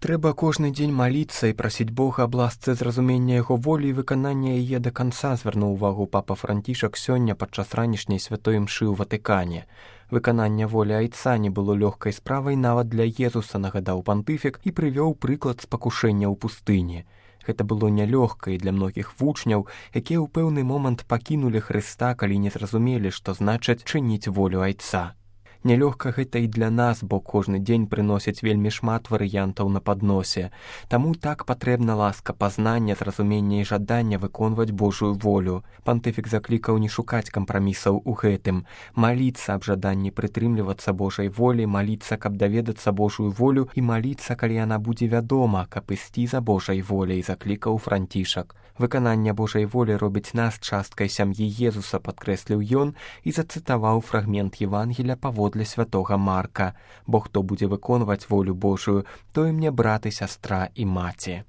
Трэба кожны дзень маліцца і прасіць Бога аб ласцы зразумення яго волі і выканання яе да канца, звярнуў увагу папа Францішак сёння падчас ранішняй святой імшы ў Ватыкане. Выкананне волі айца не было лёгкай справай нават для Езуса, нагадаў пантыфік і прывёў прыклад спакушэння ў пустыні. Гэта было нялёгка і для многіх вучняў, якія ў пэўны момант пакінулі Хрыста, калі не зразумелі, што значыць чыніць волю айца. Нялёгка гэта і для нас, бо кожны дзень прыносіць вельмі шмат варыянтаў на падносе. Таму так патрэбна ласка пазнання, зразумення і жадання выконваць Божую волю. Пантыфік заклікаў не шукаць кампрамісаў у гэтым, маліцца аб жаданні прытрымлівацца Божай волі, маліцца, каб даведацца Божую волю і маліцца, калі яна будзе вядома, каб ісці за Божай воляй, заклікаў Францішак. Выкананне Божай волі робіць нас часткай сям'і Езуса, падкрэсліў ён і зацытаваў фрагмент Евангелія паводле святога Марка. Бо хто будзе выконваць волю Божую, той мне брат і сястра і маці.